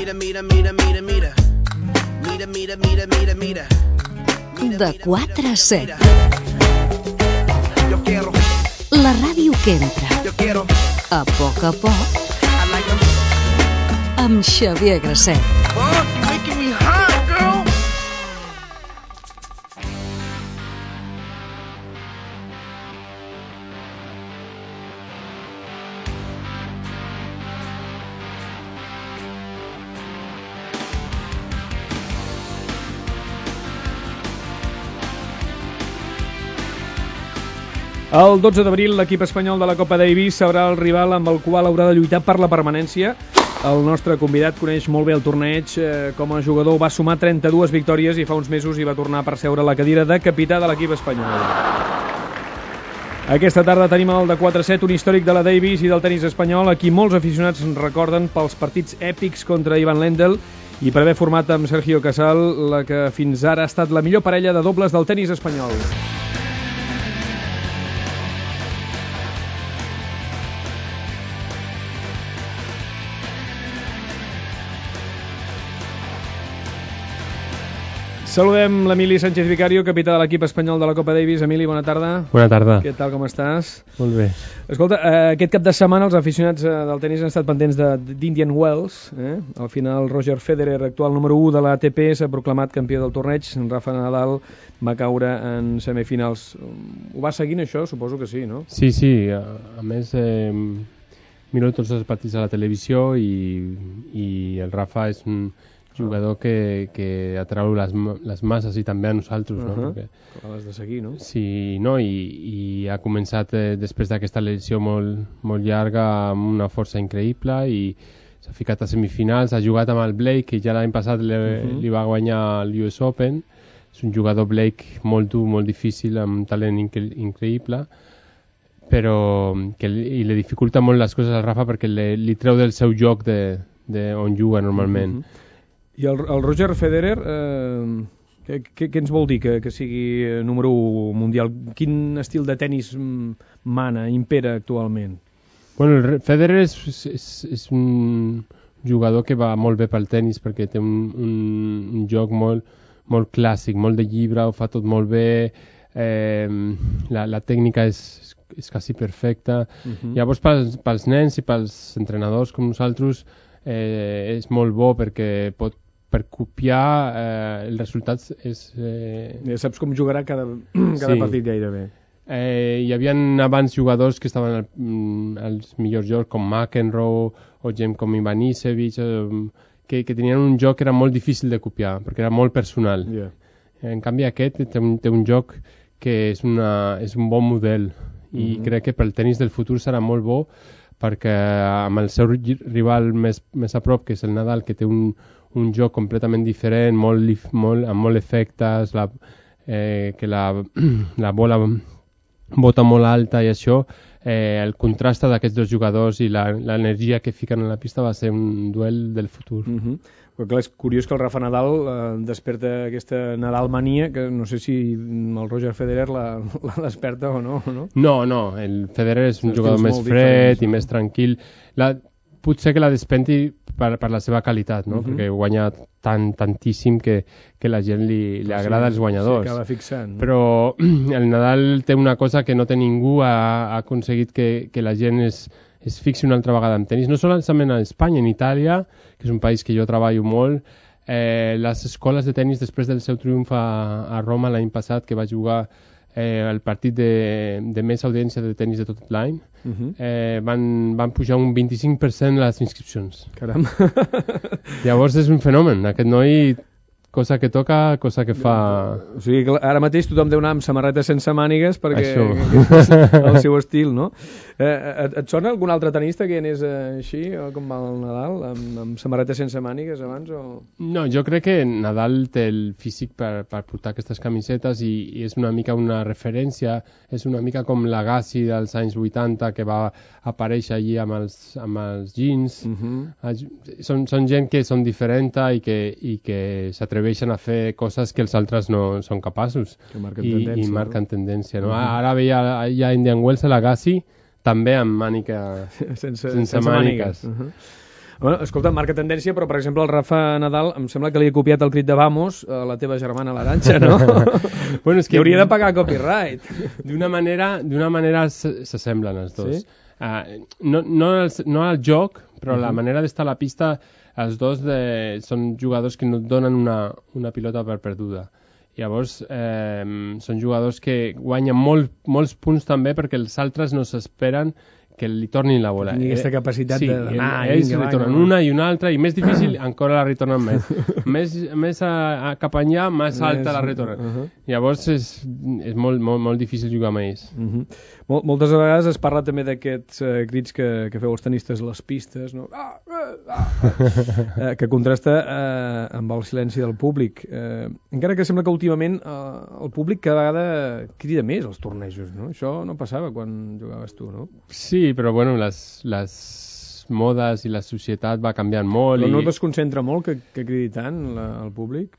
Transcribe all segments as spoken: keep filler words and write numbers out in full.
Mira, mira, mira, mira, mira. Mira, mira, mira, mira, mira. De quatre a set. Yo quiero. La ràdio que entra. Yo quiero. A poc a poc. I like them. Amb Xavier Grasset. Fuck, you making me hot, girl. El dotze d'abril l'equip espanyol de la Copa Davis serà el rival amb el qual haurà de lluitar per la permanència. El nostre convidat coneix molt bé el torneig. Com a jugador va sumar trenta-dues victòries i fa uns mesos hi va tornar a perseure la cadira de capità de l'equip espanyol. Aquesta tarda tenim el de quatre a set, un històric de la Davis i del tenis espanyol, a qui molts aficionats recorden pels partits èpics contra Ivan Lendl i per haver format amb Sergio Casal la que fins ara ha estat la millor parella de dobles del tenis espanyol. Saludem l'Emili Sánchez Vicario, capità de l'equip espanyol de la Copa Davis. Emili, bona tarda. Bona tarda. Què tal, com estàs? Molt bé. Escolta, eh, aquest cap de setmana els aficionats eh, del tenis han estat pendents d'Indian Wells. Eh? Al final, Roger Federer, actual número u de l'A T P, s'ha proclamat campió del torneig. Rafa Nadal va caure en semifinals. Ho va seguint això? Suposo que sí, no? Sí, sí. A, a més, eh, miro tots els partits a la televisió i, i el Rafa és un jugador que, que atrau les, les masses i també a nosaltres, no? Uh-huh. Perquè l'has de seguir, no? sí, no? I, i ha començat eh, després d'aquesta lesió molt, molt llarga amb una força increïble i s'ha ficat a semifinals, ha jugat amb el Blake, que ja l'any passat li, uh-huh. li va guanyar l'U S Open. És un jugador Blake molt dur, molt difícil, amb talent incre increïble, però que li, i li dificulta molt les coses al Rafa perquè li, li treu del seu joc de, de on juga normalment. Uh-huh. I el, el Roger Federer, eh, què, què ens vol dir que, que sigui número u mundial? Quin estil de tenis mana, impera actualment? Bueno, el Federer és, és, és un jugador que va molt bé pel tenis perquè té un, un, un joc molt, molt clàssic, molt de llibre, ho fa tot molt bé, eh, la, la tècnica és, és quasi perfecta. Uh-huh. Llavors pels, pels nens i pels entrenadors com nosaltres eh, és molt bo perquè pot per copiar eh, els resultats és... Eh... Ja saps com jugarà cada, cada sí. partit gairebé. Eh, hi havia abans jugadors que estaven al, als millors jocs com McEnroe o gent com Ivanisevic eh, que, que tenien un joc que era molt difícil de copiar perquè era molt personal. Yeah. En canvi aquest té un, té un joc que és, una, és un bon model i mm-hmm. crec que pel tenis del futur serà molt bo perquè amb el seu rival més, més a prop, que és el Nadal, que té un, un joc completament diferent, molt, molt, amb molt efectes, la, eh, que la, la bola bota molt alta i això, eh, el contrast d'aquests dos jugadors i l'energia que fiquen a la pista va ser un duel del futur. Mm-hmm. Però clar, és curiós que el Rafa Nadal eh, desperta aquesta Nadal mania, que no sé si el Roger Federer la, la desperta o no, no. No, no, el Federer és un Estils jugador més fred i més tranquil. La, potser que la despenti per, per la seva qualitat, no? Uh-huh. Perquè guanya tant, tantíssim que, que la gent li, li agrada sí, als guanyadors. S'acaba fixant. No? Però el Nadal té una cosa que no té ningú, ha, ha aconseguit que, que la gent es, es fixi una altra vegada en tenis. No solament a Espanya, en Itàlia, que és un país que jo treballo molt, eh, les escoles de tenis després del seu triomf a, a Roma l'any passat, que va jugar eh, el partit de, de més audiència de tenis de tot l'any, uh-huh. eh, van, van pujar un vint-i-cinc per cent les inscripcions. Caram! Llavors és un fenomen. Aquest noi, cosa que toca, cosa que fa... O sigui, que ara mateix tothom deu anar amb samarreta sense mànigues perquè és el seu estil, no? Eh, et, et sona algun altre tenista que anés eh, així, o com va el Nadal, amb, amb samarreta sense mànigues abans? O... No, jo crec que Nadal té el físic per, per portar aquestes camisetes i, i és una mica una referència, és una mica com l'Agassi dels anys vuitanta que va aparèixer allí amb els, amb els jeans. Uh-huh. Són, són gent que són diferents i que, i que s'atreveixen a fer coses que els altres no són capaços. Que marquen I, tendència. I marquen no? tendència. No? Uh-huh. Ara veia ja Indian Wells a l'Agassi també amb mànica sense, sense, sense màniques. mànigues. Uh-huh. Bueno, escolta, marca tendència, però, per exemple, el Rafa Nadal em sembla que li ha copiat el crit de Vamos a la teva germana l'Arantxa, no? Bueno, és que... I hauria de pagar copyright. D'una manera, d'una manera s'assemblen els dos. Sí? Uh, no, no, el, no al joc, però uh -huh. la manera d'estar a la pista, els dos de, són jugadors que no et donen una, una pilota per perduda. Llavors, eh, són jugadors que guanyen molt, molts punts també perquè els altres no s'esperen que li tornin la bola. Tinc aquesta capacitat sí, de d'anar. ells retornen una i una altra, i més difícil encara la retornen més. més més a, a cap enllà, més alta la retornen. Uh -huh. Llavors és, és molt, molt, molt difícil jugar amb ells. Uh -huh. Mol, moltes vegades es parla també d'aquests eh, crits que, que feu els tenistes a les pistes, no? Ah, ah, ah, eh, que contrasta eh, amb el silenci del públic. Eh, encara que sembla que últimament eh, el públic cada vegada crida més als tornejos, no? Això no passava quan jugaves tu, no? Sí, però bueno, les, les modes i la societat va canviant molt. Però no i... desconcentra molt que, que cridi tant la, el públic?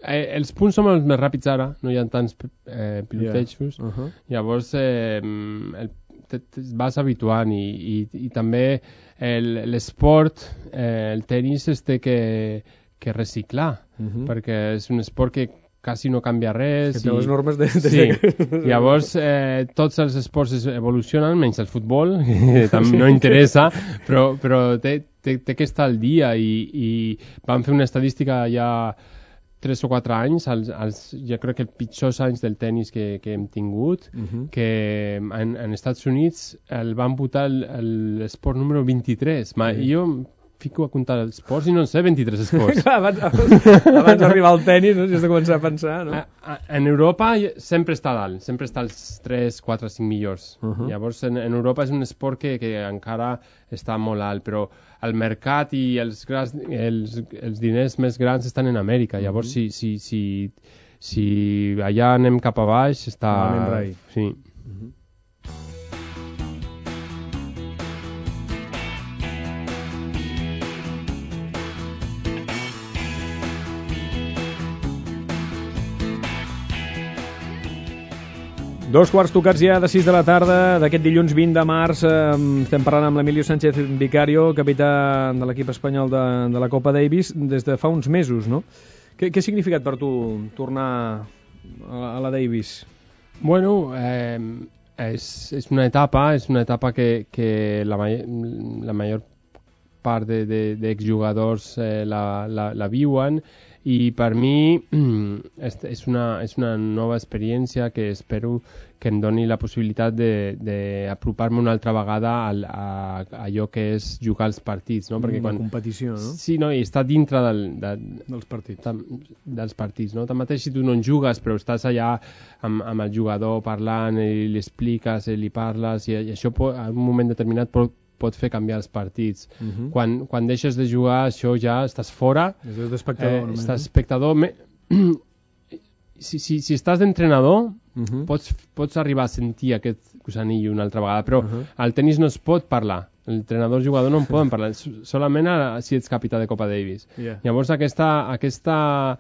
Eh, els punts són els més ràpids ara, no hi ha tants eh, pilotejos. Yeah. Uh -huh. Llavors eh, el, te, te vas habituant i, i, i també l'esport, eh, el tenis es té que, que reciclar, uh -huh. perquè és un esport que quasi no canvia res. Que té i... les normes de... de... Sí, llavors eh, tots els esports evolucionen, menys el futbol, que també no interessa, però, però té, té, té que estar al dia i, i vam fer una estadística ja tres o quatre anys, els, els, jo crec que els pitjors anys del tennis que, que hem tingut, uh -huh. que en, en Estats Units el van votar l'esport número vint-i-tres. Ma, sí. Jo fico a comptar els esports i no en sé vint-i-tres esports. abans abans, abans d'arribar al tennis, no? Si has de començar a pensar, no? A, a, en Europa sempre està dalt, sempre està als tres, quatre, cinc millors. Uh -huh. Llavors en, en Europa és un esport que, que encara està molt alt, però el mercat i els, grans, els, els diners més grans estan en Amèrica. Llavors uh -huh. si, si, si, si allà anem cap a baix està... Sí. Uh -huh. Dos quarts tocats ja de sis de la tarda d'aquest dilluns vint de març. Eh, estem parlant amb l'Emilio Sánchez Vicario, capità de l'equip espanyol de, de la Copa Davis, des de fa uns mesos, no? Què, què ha significat per tu tornar a, a la Davis? Bueno, eh, és, és una etapa, és una etapa que, que la, la major part d'exjugadors eh, la, la, la viuen, i per mi és, és, una, és una nova experiència que espero que em doni la possibilitat d'apropar-me una altra vegada a, a, a allò que és jugar als partits, no? Perquè quan... La competició, no? Sí, no, i està dintre del, de, dels partits. Tam, dels partits, no? Tanmateix si tu no en jugues, però estàs allà amb, amb el jugador parlant i li expliques i li parles, i, i això pot, en un moment determinat pot pot fer canviar els partits. Uh -huh. quan, quan deixes de jugar, això ja estàs fora. Estàs d'espectador. Eh, estàs espectador. Me... si, si, si estàs d'entrenador, uh -huh. pots, pots arribar a sentir aquest gusanillo una altra vegada, però uh -huh. al tenis no es pot parlar. L'entrenador i jugador no en poden parlar, solament a, si ets capità de Copa Davis. Yeah. Llavors aquesta... aquesta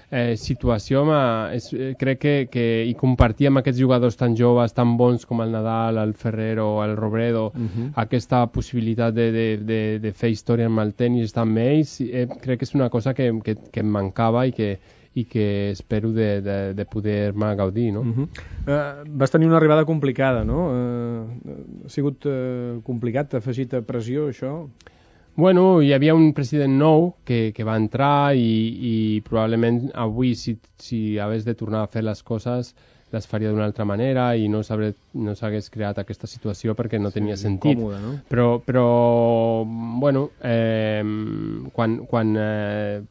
Eh, situació és, eh, crec que, que i compartir amb aquests jugadors tan joves, tan bons com el Nadal, el Ferrero, el Robredo, uh -huh. aquesta possibilitat de, de, de, de fer història amb el tenis, estar amb ells, eh, crec que és una cosa que, que, que em mancava i que, i que espero de, de, de poder-me gaudir, no? Uh -huh. uh, vas tenir una arribada complicada, no? Uh, ha sigut uh, complicat, t'ha afegit a pressió, això? Bueno, hi havia un president nou que, que va entrar i, i probablement avui, si, si hagués de tornar a fer les coses, les faria d'una altra manera i no s'hagués no creat aquesta situació perquè no sí, tenia sentit. Còmode, no? Però, però bueno, eh, quan, quan eh,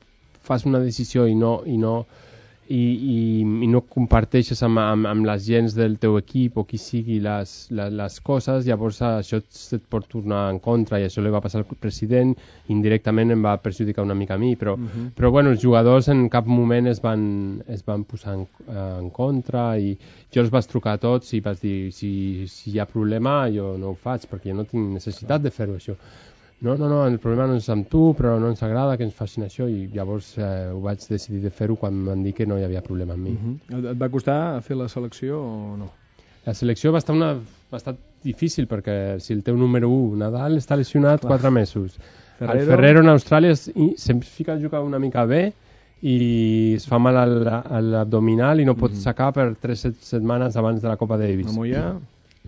fas una decisió i no... I no I, i, i no comparteixes amb, amb, amb les gens del teu equip o qui sigui les, les, les coses, llavors això et pot tornar en contra, i això li va passar al president, indirectament em va perjudicar una mica a mi, però, uh-huh. però bueno, els jugadors en cap moment es van, es van posar en, en contra, i jo els vaig trucar a tots i vaig dir, si, si hi ha problema jo no ho faig, perquè jo no tinc necessitat de fer-ho això. No, no, no, el problema no és amb tu, però no ens agrada que ens facin això, i llavors eh, ho vaig decidir de fer-ho quan em van dir que no hi havia problema amb mi. Uh-huh. Et va costar fer la selecció o no? La selecció va estar, una, va estar difícil, perquè si el teu número u, Nadal, està lesionat Clar. quatre mesos, Ferrero. El Ferrero en Austràlia es, sempre fica a jugar una mica bé i es fa mal al, a l'abdominal i no pot Mhm. sacar per tres set setmanes abans de la Copa Davis. A Mollà.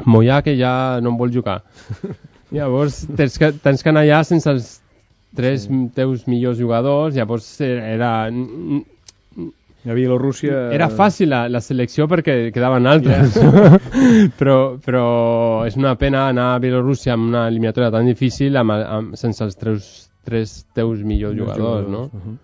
Mollà, que ja no en vol jugar. Llavors tens que, tens que anar allà sense els tres Sí. teus millors jugadors, llavors era... A Bielorússia... Era fàcil la, la selecció perquè quedaven altres, Yeah. però, però és una pena anar a Bielorússia amb una eliminatòria tan difícil amb, amb, sense els tres, tres teus millors jugadors, no? Uh -huh.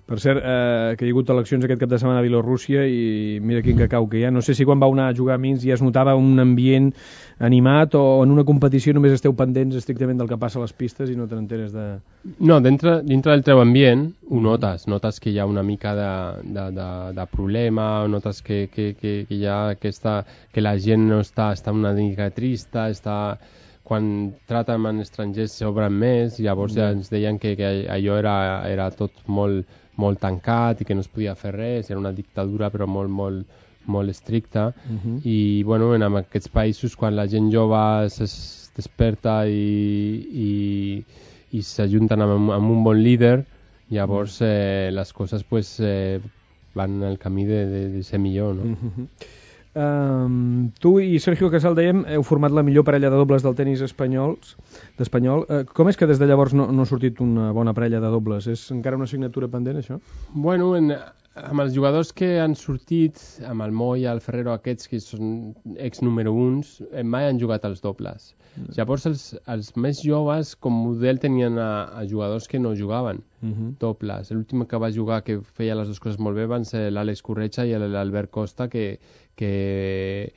Per cert, eh, que hi ha hagut eleccions aquest cap de setmana a Bielorússia i mira quin cacau que hi ha. No sé si quan vau anar a jugar a Minsk ja es notava un ambient animat o en una competició només esteu pendents estrictament del que passa a les pistes i no te n'enteres de... No, dintre, dintre del teu ambient ho notes, notes que hi ha una mica de, de, de, de problema, notes que, que, que, que hi ha aquesta, que la gent no està, està una mica trista, està... quan traten amb estrangers s'obren més, llavors ja ens deien que, que allò era, era tot molt, molt tancat i que no es podia fer res, era una dictadura però molt, molt, molt estricta. Uh-huh. I bueno, en aquests països quan la gent jove es desperta i, i, i s'ajunten amb, amb un bon líder, llavors eh, les coses pues, eh, van al camí de, de, de ser millor, no? Uh-huh. Um, tu i Sergio Casal, dèiem, heu format la millor parella de dobles del tenis espanyols, d'espanyol. Uh, com és que des de llavors no, no ha sortit una bona parella de dobles? És encara una assignatura pendent, això? Bueno, en, amb els jugadors que han sortit, amb el Moya, el Ferrero, aquests que són ex número uns, mai han jugat als dobles. Mm. Llavors els, els més joves com model tenien a, a jugadors que no jugaven uh-huh. dobles. L'últim que va jugar que feia les dues coses molt bé van ser l'Àlex Corretja i l'Albert Costa, que que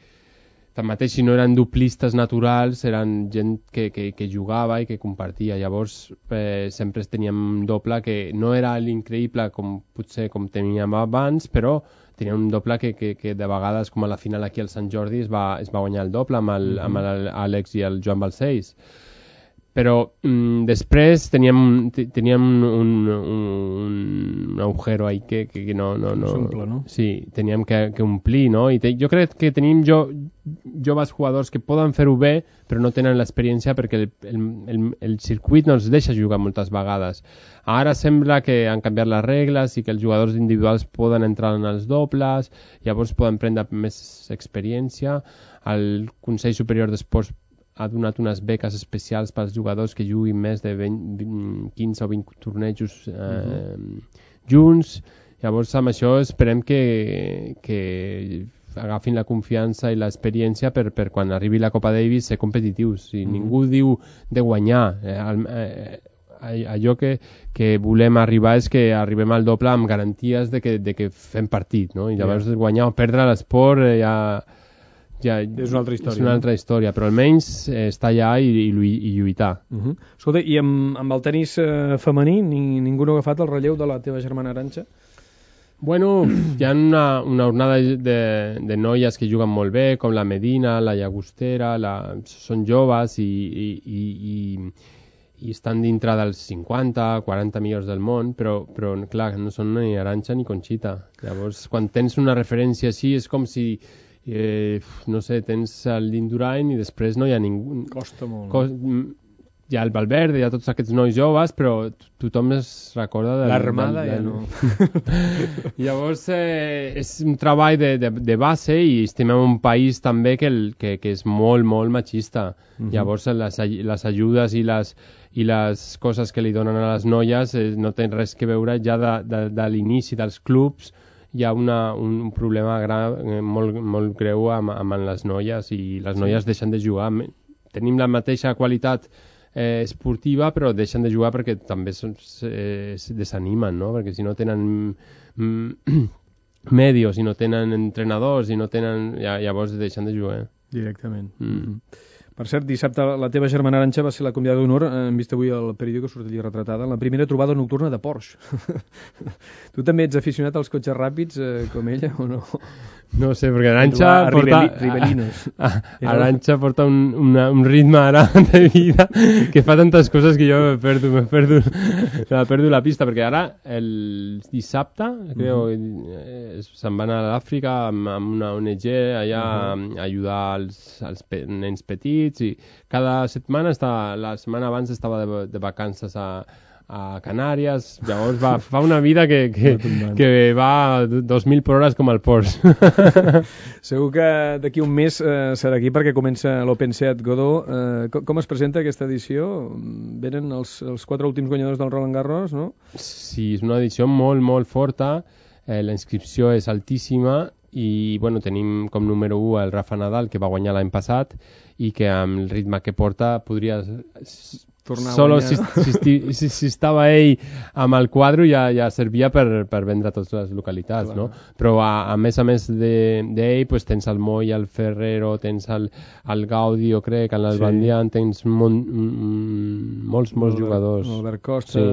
tanmateix si no eren duplistes naturals eren gent que, que, que jugava i que compartia, llavors eh, sempre teníem un doble que no era l'increïble com potser com teníem abans, però tenia un doble que, que, que de vegades com a la final aquí al Sant Jordi es va, es va guanyar el doble amb el, mm-hmm. amb l'Àlex i el Joan Balcells. Però mm, després teníem, teníem un, un, un agujero ahí que, que, que no... no, no S'omple, no? Sí, teníem que, que omplir, no? I te, jo crec que tenim jo, joves jugadors que poden fer-ho bé, però no tenen l'experiència perquè el, el, el, el circuit no els deixa jugar moltes vegades. Ara sembla que han canviat les regles i que els jugadors individuals poden entrar en els dobles, llavors poden prendre més experiència. El Consell Superior d'Esports ha donat unes beques especials pels jugadors que juguin més de vint, vint, quinze o vint tornejos eh, uh-huh. junts. Llavors amb això esperem que, que agafin la confiança i l'experiència per, per quan arribi la Copa Davis ser competitius. Si uh-huh. ningú diu de guanyar, eh, eh, allò que, que volem arribar és que arribem al doble amb garanties de que, de que fem partit, no? I llavors yeah. guanyar o perdre l'esport eh, ja... Ja, és una altra història. És una altra història, però almenys eh, estar allà i, i, i lluitar. Uh-huh. Escolta, i amb, amb el tenis eh, femení ni, ningú no ha agafat el relleu de la teva germana Arantxa? Bueno, hi ha una, una onada de, de noies que juguen molt bé, com la Medina, la Llagostera, la... són joves i, i, i, i, i estan dintre dels cinquanta, quaranta millors del món, però, però clar, no són ni Arantxa ni Conxita. Llavors, quan tens una referència així, és com si... Eh, no sé, tens l'Indurain i després no hi ha ningú. Costa molt. Cos... Hi ha el Valverde, hi ha tots aquests nois joves, però tothom es recorda del... L'Armada del, del... ja no. Llavors eh, és un treball de, de, de base i estem en un país també que, el, que, que és molt, molt machista. Uh-huh. Llavors les, les ajudes i les, i les coses que li donen a les noies eh, no tenen res que veure ja de, de, de l'inici dels clubs. Hi ha una, un problema gran, molt, molt greu amb, amb les noies i les noies sí. deixen de jugar. Tenim la mateixa qualitat eh, esportiva, però deixen de jugar perquè també es, es desanimen, no? Perquè si no tenen mm, medios, si no tenen entrenadors, si no tenen... Ja, llavors deixen de jugar. Directament. Mm. Mm-hmm. Per cert, dissabte la teva germana Arantxa va ser la convidada d'honor, hem vist avui al periòdico que surt allí retratada, en la primera trobada nocturna de Porsche. Tu també ets aficionat als cotxes ràpids eh, com ella o no? No sé, perquè Arantxa porta... Ribelinos. Arantxa porta un, una, un ritme ara de vida que fa tantes coses que jo me perdo, me perdo, me perdo la pista, perquè ara el dissabte creo, uh-huh. se'n van a l'Àfrica amb, amb una O N G allà uh-huh. a ajudar els, els pe- nens petits partits, i cada setmana, està, la setmana abans estava de, de vacances a, a Canàries, llavors va, fa una vida que, que, que va dos mil per hores com el Porsche. Segur que d'aquí un mes eh, serà aquí perquè comença l'Open Seat Godó. Eh, com, com es presenta aquesta edició? Venen els, els quatre últims guanyadors del Roland Garros, no? Sí, és una edició molt, molt forta. Eh, la inscripció és altíssima i bueno, tenim com número u el Rafa Nadal, que va guanyar l'any passat i que amb el ritme que porta podria... Tornar Solo a guanyar, si, no? si, si, si, si estava ell amb el quadre ja, ja servia per, per vendre a totes les localitats, no? Però a, a més a més d'ell, de, pues, tens el Moy, el Ferrero, tens el, el Gaudio, crec, el Nalbandian, sí. Tens mon, mm, molts, molts Albert, jugadors. Albert Costa, sí.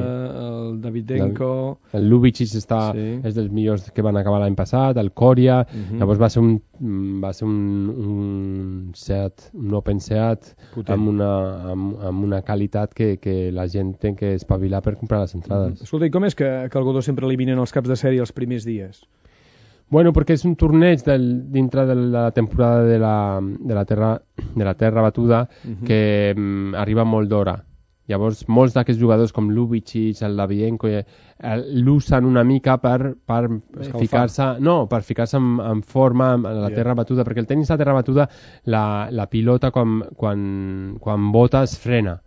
El Davidenko... El, el Lubicic està, sí. És dels millors que van acabar l'any passat, el Coria, uh -huh. Llavors va ser un, va ser un, un Seat, un Open Seat amb una, amb, amb una qualitat Que, que la gent té que espavilar per comprar les entrades. Mm-hmm. Escolta, i com és que, que el Godó sempre eliminen els caps de sèrie els primers dies? Bueno, perquè és un torneig del, dintre de la temporada de la, de la, terra, de la terra batuda mm-hmm. que mm, arriba molt d'hora. Llavors, molts d'aquests jugadors com Lubicic, el Davidenko, eh, l'usen una mica per, per ficar-se no, per ficar-se en, en forma en la yeah. terra batuda, perquè el tenis a terra batuda la, la pilota quan, quan, quan bota es frena.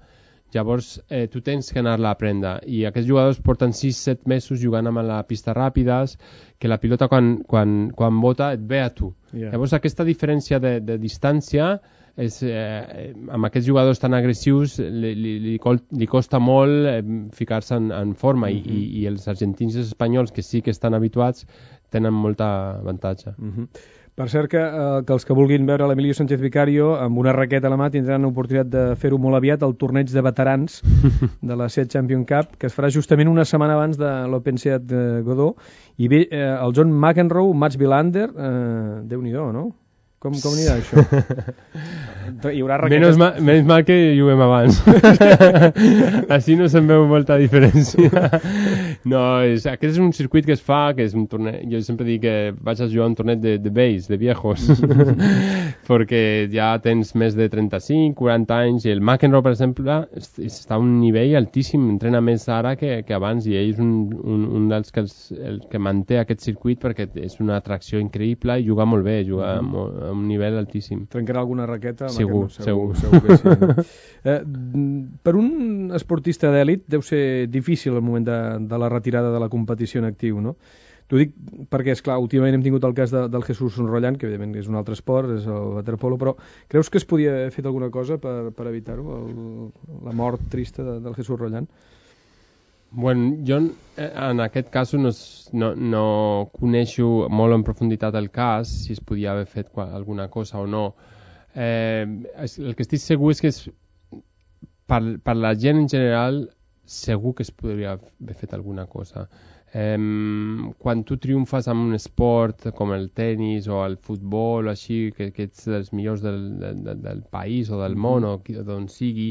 Llavors, eh, tu tens que anar-la a prendre. I aquests jugadors porten sis set mesos jugant amb la pista ràpides, que la pilota quan, quan, quan bota et ve a tu. Yeah. Llavors, aquesta diferència de, de distància, és, eh, amb aquests jugadors tan agressius, li, li, li, li costa molt eh, ficar-se en, en forma. Mm-hmm. I, i els argentins i els espanyols, que sí que estan habituats, tenen molta avantatge. Mm-hmm. Per cert, que, eh, que els que vulguin veure l'Emilio Sánchez Vicario amb una raqueta a la mà tindran l'oportunitat de fer-ho molt aviat al torneig de veterans de la Seat Champion Cup, que es farà justament una setmana abans de l'Open Seat Godó. I bé, eh, el John McEnroe, Mats Wilander, eh, Déu-n'hi-do, no? Com, com anirà això? Hi haurà raquetes... Menys mal, menys mal que juguem abans. Així no se'n veu molta diferència. No, és, aquest és un circuit que es fa, que és un torneig... Jo sempre dic que vaig a jugar un torneig de, de vells, de viejos, perquè ja tens més de trenta-cinc, quaranta anys, i el McEnroe, per exemple, està a un nivell altíssim, entrena més ara que, que abans, i ell és un, un, un dels que, els, el que manté aquest circuit perquè és una atracció increïble i juga molt bé, juga mm-hmm. molt, a un nivell altíssim. Trencarà alguna raqueta? Segur, segur. segur, segur que sí. No? eh, per un esportista d'èlit deu ser difícil el moment de, de la retirada de la competició en actiu, no? T'ho dic perquè, esclar, últimament hem tingut el cas de, del Jesús Rolland, que evidentment és un altre esport, és el waterpolo, però creus que es podia haver fet alguna cosa per, per evitar-ho, la mort trista de, del Jesús Rolland? Bueno, jo en aquest cas no, no, no coneixo molt en profunditat el cas, si es podia haver fet alguna cosa o no. Eh, el que estic segur és que és, per, per la gent en general segur que es podria haver fet alguna cosa. Eh, quan tu triomfes en un esport com el tennis o el futbol o així, que, que ets dels millors del, del, del país o del món o d'on sigui,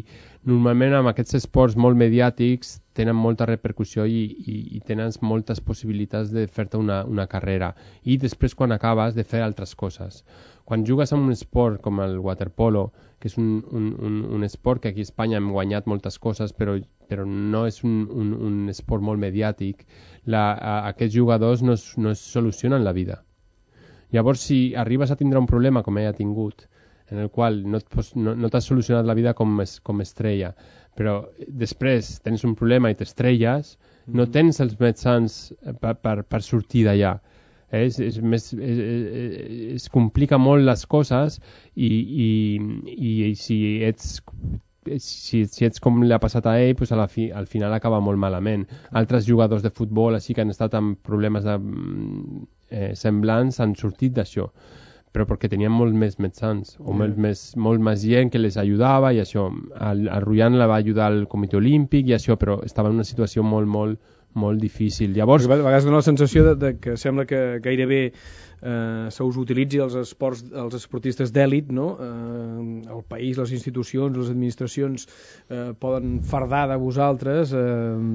normalment amb aquests esports molt mediàtics tenen molta repercussió i, i, i tens moltes possibilitats de fer-te una, una carrera i després quan acabes de fer altres coses. Quan jugues en un esport com el waterpolo, que és un, un, un, un esport que aquí a Espanya hem guanyat moltes coses, però, però no és un, un, un esport molt mediàtic, la, a, aquests jugadors no es, no es solucionen la vida. Llavors, si arribes a tindre un problema com ell ha tingut, en el qual no, no, no t'has solucionat la vida com, es, com estrella, però després tens un problema i t'estrelles, mm-hmm. no tens els mitjans per, per, per sortir d'allà. És, és més, és, es complica molt les coses i, i, i, i si ets si, si ets com li ha passat a ell, pues a la fi, al final acaba molt malament. Altres jugadors de futbol així que han estat amb problemes de, eh, semblants han sortit d'això, però perquè tenien molt més mitjans o molt més, molt més gent que les ajudava i això. El, el Rolland la va ajudar al Comitè Olímpic i això, però estava en una situació molt, molt, molt difícil. Llavors... Perquè a vegades dona la sensació de, de que sembla que gairebé eh, se us utilitzi els esports, els esportistes d'èlit, no? Eh, el país, les institucions, les administracions eh, poden fardar de vosaltres, eh,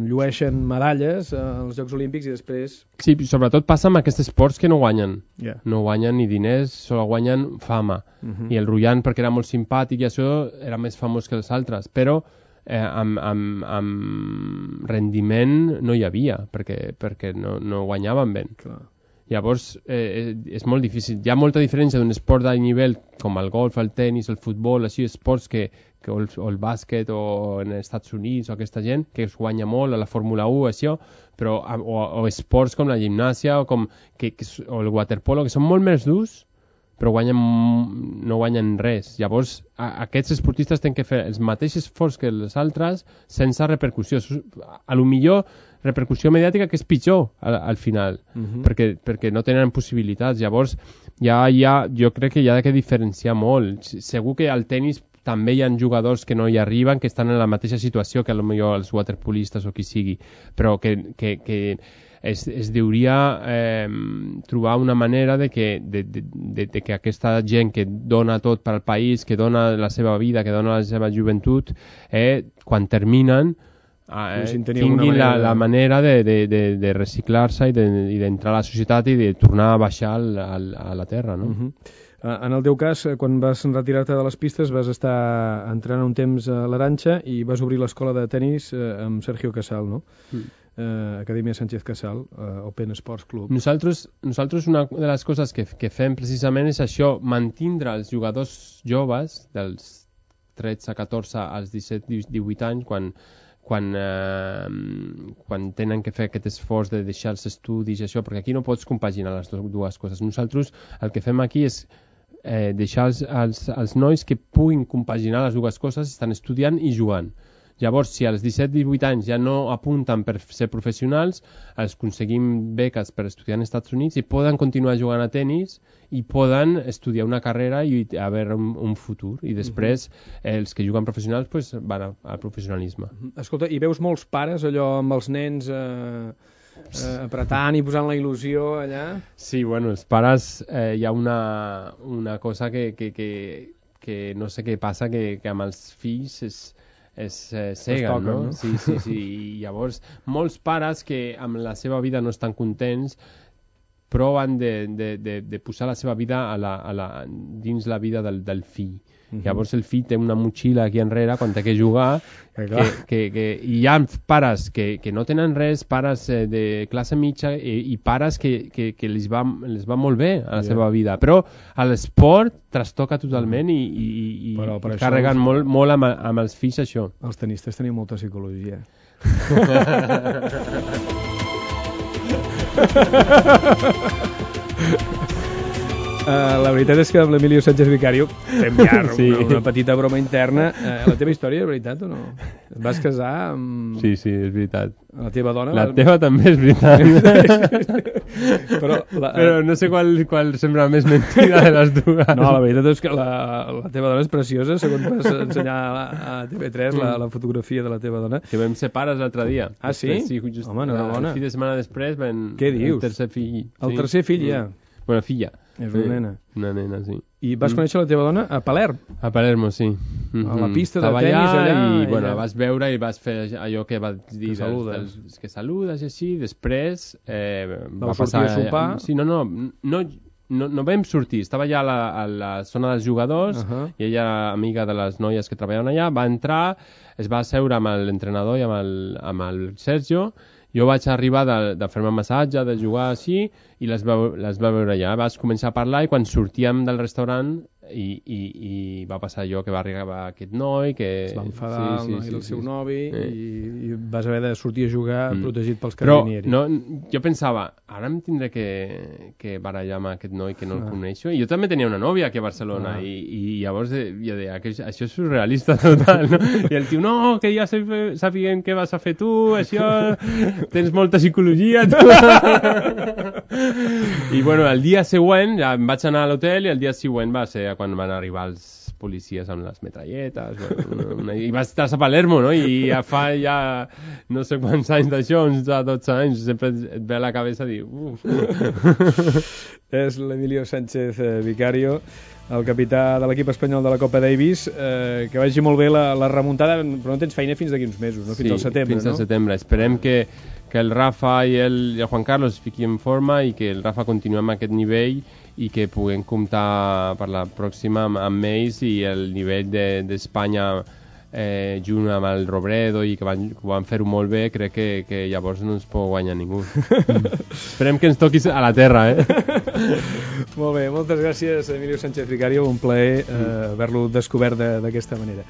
llueixen medalles eh, als Jocs Olímpics i després... Sí, sobretot passa amb aquests esports que no guanyen. Yeah. No guanyen ni diners, solo guanyen fama. Uh-huh. I el Rullan, perquè era molt simpàtic i això, era més famós que els altres. Però eh, amb, amb, amb rendiment no hi havia, perquè, perquè no, no guanyaven ben. Clar. Llavors eh, és molt difícil. Hi ha molta diferència d'un esport d'alt nivell com el golf, el tennis, el futbol, així esports que, que o, el, o el bàsquet o en els Estats Units o aquesta gent que es guanya molt a la Fórmula u, això, però o, o esports com la gimnàsia o, com, que, que, o el waterpolo, que són molt més durs però guanyen, no guanyen res. Llavors, a, aquests esportistes tenen que fer els mateixos esforços que els altres sense repercussió. A lo millor repercussió mediàtica que és pitjor al, al final, uh-huh. perquè, perquè no tenen possibilitats. Llavors, ja, ja, jo crec que hi ha que diferenciar molt. Segur que al tennis també hi ha jugadors que no hi arriben, que estan en la mateixa situació que a lo millor els waterpolistes o qui sigui, però que... que, que Es, es deuria eh, trobar una manera de que, de, de, de, de que aquesta gent que dona tot per al país, que dona la seva vida, que dona la seva joventut, eh, quan terminen eh, tinguin la, la manera de, de, de, de reciclar-se i d'entrar de, a la societat i de tornar a baixar al, al, a la terra, no? Uh-huh. En el teu cas, quan vas retirar-te de les pistes, vas estar entrenant un temps a l'Arantxa i vas obrir l'escola de tennis amb Sergio Casal, no? Mm. Uh, Acadèmia Sánchez Casal, uh, Open Sports Club. Nosaltres, nosaltres una de les coses que, que fem precisament és això, mantindre els jugadors joves dels tretze, catorze als disset, divuit anys, quan, quan, eh, quan tenen que fer aquest esforç de deixar els estudis i això, perquè aquí no pots compaginar les dues coses. Nosaltres el que fem aquí és eh, deixar els, els, els nois que puguin compaginar les dues coses, estan estudiant i jugant. Llavors, si als disset divuit anys ja no apunten per ser professionals, els aconseguim beques per estudiar als Estats Units i poden continuar jugant a tennis i poden estudiar una carrera i haver un, un futur. I després, eh, els que juguen professionals pues, van al professionalisme. Escolta, i veus molts pares allò amb els nens eh, eh, apretant i posant la il·lusió allà? Sí, bueno, els pares, eh, hi ha una, una cosa que, que, que, que no sé què passa, que, que amb els fills és... es eh, ceguen, toquen, no? no? Sí, sí, sí. I llavors, molts pares que amb la seva vida no estan contents proven de, de, de, de posar la seva vida a la, a la, dins la vida del, del fill. Uh-huh. Llavors el fill té una motxilla aquí enrere quan té que jugar, que, que, que, que, i hi ha pares que, que no tenen res, pares eh, de classe mitja i, i pares que, que, que les, va, les va molt bé a la yeah. seva vida, però a l'esport trastoca totalment i, i, i, però, i carreguen els... molt, molt amb, amb els fills això. Els tenistes tenen molta psicologia. Uh, la veritat és que amb l'Emilio Sánchez Vicario fem ja sí. una, una petita broma interna. Uh, la teva història és veritat o no? Et vas casar amb... Sí, sí, és veritat. La teva dona... La teva també és veritat. Però, la... Però no sé qual, qual sembla més mentida de les dues. No, la veritat és que la, la teva dona és preciosa, segons vas ensenyar a, a T V tres la, la fotografia de la teva dona. Que vam ser pares l'altre dia. Ah, sí? Després, sí, just, home, enhorabona. El fi de setmana després vam... Què dius? El tercer fill. El sí. tercer fill ja? Bueno, filla. És una sí, nena. Una nena, sí. I vas mm. conèixer la teva dona a Palerm? A Palermo, sí. Mm-hmm. A la pista de Estava tenis allà. allà i, i bueno, allà. vas veure i vas fer allò que vas dir... Que saludes. Dels, dels, que saludes i així. Després eh, va va passar... a sopar? Sí, no, no, no, no, no vam sortir. Estava allà a la, a la zona dels jugadors uh-huh. i ella, amiga de les noies que treballaven allà, va entrar, es va asseure amb l'entrenador i amb el, amb el Sergio. Jo vaig arribar de, de fer-me massatge, de jugar així, i les va, les va veure allà. Vas començar a parlar i quan sortíem del restaurant i, i, i va passar allò que va arribar aquest noi, que... Es va enfadar sí, sí, el noi sí, del sí, seu sí. novi sí. i, i vas haver de sortir a jugar mm. protegit pels carabinieri. Però no, jo pensava, ara em tindré que, que barallar amb aquest noi que no ah. el coneixo. I jo també tenia una nòvia aquí a Barcelona ah. i, i llavors jo deia que això és surrealista total, no? I el tio, no, que ja sapiguem què vas a fer tu, això, tens molta psicologia, tu. I bueno, el dia següent ja em vaig anar a l'hotel i el dia següent va ser quan van arribar els policies amb les metralletes, bueno, una, una, i va estar a Palermo, no? I ja fa ja no sé quants anys d'això, uns dotze anys, sempre et ve a la cabeza dir... Uf. És l'Emilio Sánchez eh, Vicario, el capità de l'equip espanyol de la Copa Davis, eh, que vagi molt bé la, la remuntada, però no tens feina fins d'aquí uns mesos, no? Fins sí, al setembre, fins no? al setembre. Esperem que, que el Rafa i el, i el Juan Carlos es fiquin en forma i que el Rafa continuï amb aquest nivell i que puguem comptar per la pròxima amb, amb ells i el nivell d'Espanya de, eh, junt amb el Robredo i que van, que van fer-ho molt bé, crec que, que llavors no ens pot guanyar ningú. Esperem que ens toquis a la terra, eh? Molt bé, moltes gràcies, Emilio Sánchez Vicario, un plaer eh, haver-lo descobert d'aquesta manera.